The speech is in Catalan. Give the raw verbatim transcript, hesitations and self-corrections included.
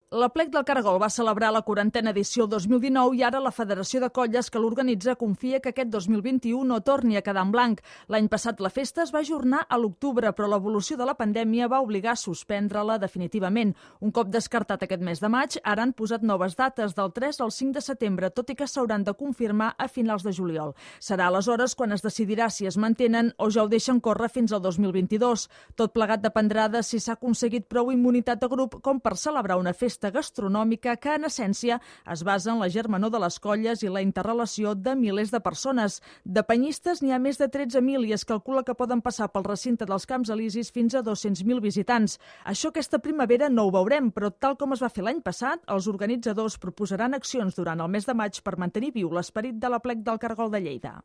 L'Aplec del Cargol va celebrar la quarantena edició dos mil dinou i ara la Federació de Colles que l'organitza confia que aquest dos mil vint-i-u no torni a quedar en blanc. L'any passat la festa es va ajornar a l'octubre, però l'evolució de la pandèmia va obligar a suspendre-la definitivament. Un cop descartat aquest mes de maig, ara han posat noves dates del tres al cinc de setembre, tot i que s'hauran de confirmar a finals de juliol. Serà aleshores quan es decidirà si es mantenen o ja ho deixen córrer fins al dos mil vint-i-dos. Tot plegat dependrà de si s'ha aconseguit prou immunitat de grup com per celebrar una festa gastronòmica que, en essència, es basa en la germanor de les colles i la interrelació de milers de persones. De penyistes n'hi ha més de tretze mil i es calcula que poden passar pel recinte dels Camps Elisis fins a dos-cents mil visitants. Això aquesta primavera no ho veurem, però tal com es va fer l'any passat, els organitzadors proposaran accions durant el mes de maig per mantenir viu l'esperit de l'Aplec del Cargol de Lleida.